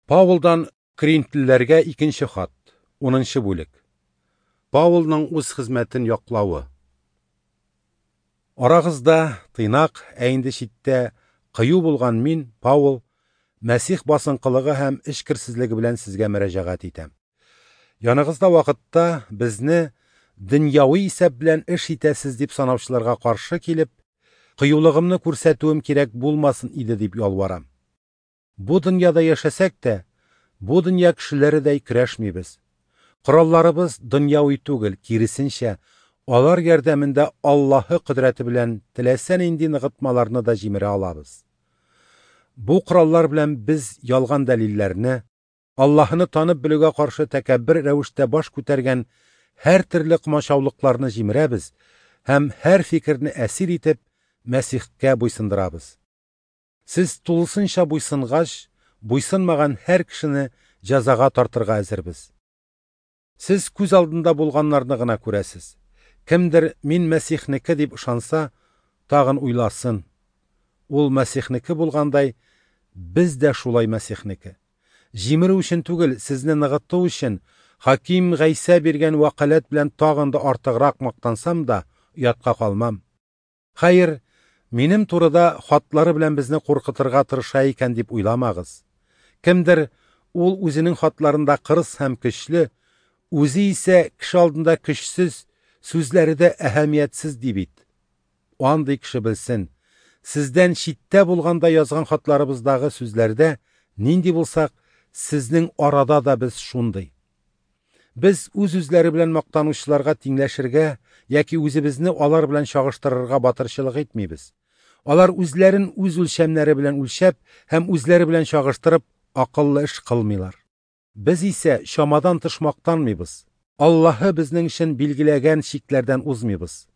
Паулдан Коринфлеләргә икенче хат, 10 бүлек. Паулның үз хезмәтен яклавы. Арагызда тыйнак, ә инде читтә кыю булган мин, Паул, Мәсих басынкылыгы һәм эчкерсезлеге белән сезгә мөрәҗәгать итәм. Яныгызда вакытта безне дөньяви исәп белән эш итәсез дип санаучыларга каршы килеп, кыюлыгымны күрсәтүем кирәк булмасын иде дип ялварам. Бу дөньяда яшәсәк тә, бу дөнья кешеләредәй көрәшмибез. Коралларыбыз дөньяви түгел, киресенчә, алар ярдәмендә Аллаһы кодрәте белән теләсә нинди ныгытмаларны да җимерә алабыз. Бу кораллар белән без ялган дәлилләрне, Аллаһыны танып белүгә каршы тәкәббер рәвештә баш күтәргән һәр төрле комачаулыкларны җимерәбез һәм һәр фикерне әсир итеп Мәсихкә буйсындырабыз. Сез тулысынча буйсынгач, буйсынмаган һәр кешене җәзага тартырга әзербез. Сез күз алдында булганнарны гына күрәсез. Кемдер мин Мәсихнеке дип ышанса, тагын уйласын. Ул Мәсихнеке булгандай, без дә шулай Мәсихнеке. Җимерү өчен түгел, сезне ныгыту өчен Хаким Гайсә биргән вәкаләт белән тагын да артыграк мактансам да, оятка калмам. Хәер, минем турыда хатлары белән безне куркытырга тырыша икән дип уйламагыз. Кемдер ул үзенең хатларында кырыс һәм көчле, үзе исә кеше алдында көчсез, сүзләре дә әһәмиятсез ди бит. Андый кеше белсен, сездән читтә булганда язган хатларыбыздагы сүзләрдә нинди булсак, сезнең арада да без шундый. Без үз-үзләре белән мактанучыларга тиңләшергә яки үзебезне алар белән чагыштырырга батырчылык итмибез. Алар үзләрен үз үлчәмнәре белән үлчәп һәм үзләре белән чагыштырып акыллы эш кылмыйлар. Без исә чамадан тыш мактанмыйбыз. Аллаһы безнең өчен билгеләгән чикләрдән узмыйбыз.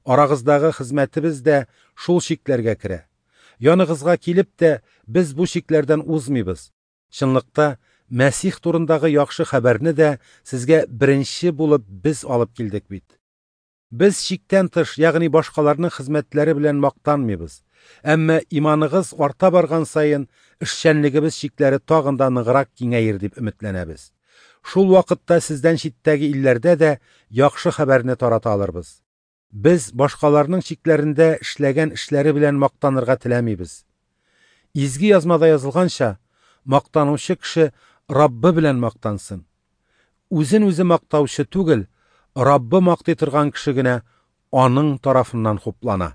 Арагыздагы хезмәтебез дә шул чикләргә керә. Яныгызга килеп тә без бу чикләрдән узмыйбыз. Чынлыкта Мәсих турындагы яхшы хәбәрне дә сезгә беренче булып без алып килдек бит. Без чиктән тыш, ягъни башкаларның хезмәтләре белән мактанмыйбыз. Әмма иманыгыз арта барган саен эшчәнлегебез чикләре тагын да ныграк киңәер дип өметләнәбез. Шул вакытта сездән читтәге илләрдә дә яхшы хәбәрне тарата алырбыз. Без башкаларның чикләрендә эшләгән эшләре белән мактанырга теләмибез. Изге язмада язылганча, мактанучы кеше Раббы белән мактансын. Үзен үзе мактаучы түгел, Раббы мактый торган кеше генә аның тарафыннан хуплана.